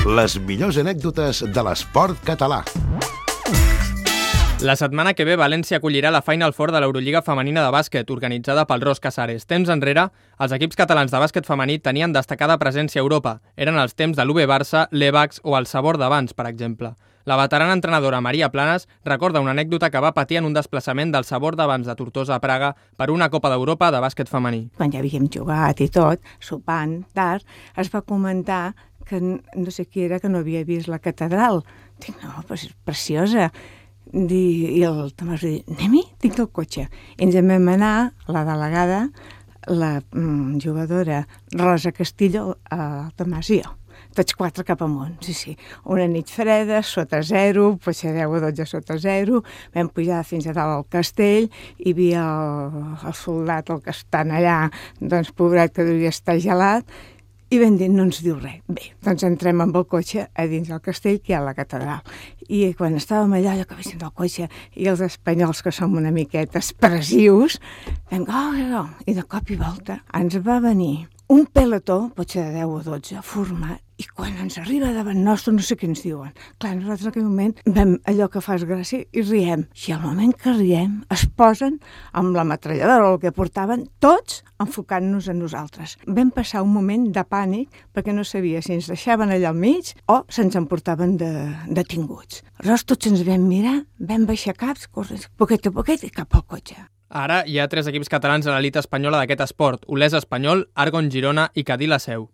Les millors anècdotes de l'esport català. La setmana que ve València acollirà la Final Four de l'Eurolliga femenina de bàsquet, organitzada pel Ros Casares. Temps enrere, els equips catalans de bàsquet femení tenien destacada presència a Europa. Eren els temps de l'UB Barça, l'Evax o el Sabor d'abans, per exemple. La veterana entrenadora Maria Planes recorda una anècdota que va patir en un desplaçament del Sabor d'abans de Tortosa a Praga per una Copa d'Europa de bàsquet femení. Quan ja havíem jugat i tot, sopant tard, es va comentar que no sé qui era que no havia vist la catedral. Dic, no, però és preciosa. I el Tomàs va dir, anem-hi? Tinc el cotxe. I ens en vam anar, la delegada, la jugadora Rosa Castillo, el Tomàs i jo. Tots quatre cap amunt, sí. Una nit freda, sota zero, potser 10 o 12 sota zero, vam pujar fins a dalt al castell, hi havia el soldat, el que estan allà, doncs pobret que devia estar gelat, i vam dir, no ens diu res. Bé, doncs entrem amb el cotxe a dins del castell, que hi ha la catedral. I quan estàvem allà, allò que vessin del cotxe, i els espanyols, que som una miqueta expressius, vam dir, i de cop i volta ens va venir un pelotó, potser de 10 o 12, format, i quan ens arriba davant nostre no sé què ens diuen. Clar, nosaltres en aquell moment vam allò que fas gràcia i riem. I al moment que riem es posen amb la metralladora o el que portaven, tots enfocant-nos a nosaltres. Vam passar un moment de pànic perquè no sabia si ens deixaven allà al mig o se'ns emportaven detinguts. Aleshores tots ens vam mirar, vam baixar caps, corrents, poquet a poquet i cap al cotxe. Ara hi ha 3 equips catalans a l'elit espanyola d'aquest esport: Olesa Espanyol, Argon Girona i Cadí la Seu.